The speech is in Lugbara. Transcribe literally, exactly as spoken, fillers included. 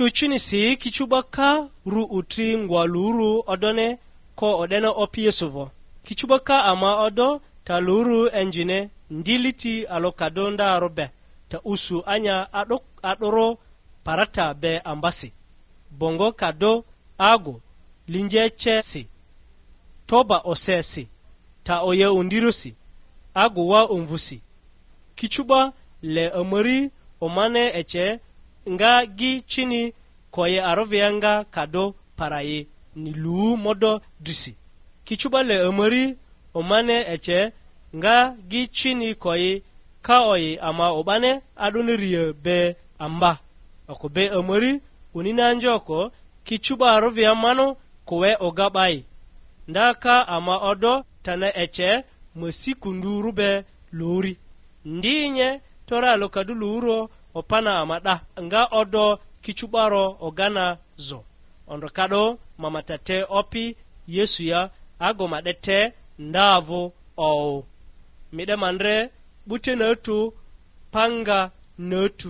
Ucunisi kicu'ba ka ru utri ngwa luru odone, ko o'dene Opi Yesu vᴜ. Kicu'ba ka ama odo ta luru enjine, ndiliti alokado ndarᴜ be, ta usu anya a'dᴜ a'dᴜrᴜ parata be ambasi, bongo kado agu linje cesi, toba osesi, ta oya undirosi, agu wa umvusi. Kicu'ba le amari omane ece nga gi cini koyi arovia nga kado parayi ni lu modo drisi. Kicu'ba le amari omane ece nga gi cini koyi ka oyi ama o'bane a'doni ria be amba. Oko be amari unini anjoko kicu'ba arovia mano kowe oga 'bai. Nda ka ama odo tana ece ma si kundu rube luri. Ndi nye tore alokadu luro opana ama 'da, nga odo kicu'baro ogana zo. Ondro kado ma ma ta te Opi Yesu ya, ago ma 'de te nda vᴜ owu. Mi 'de ma ndre 'bute natu, panga natu.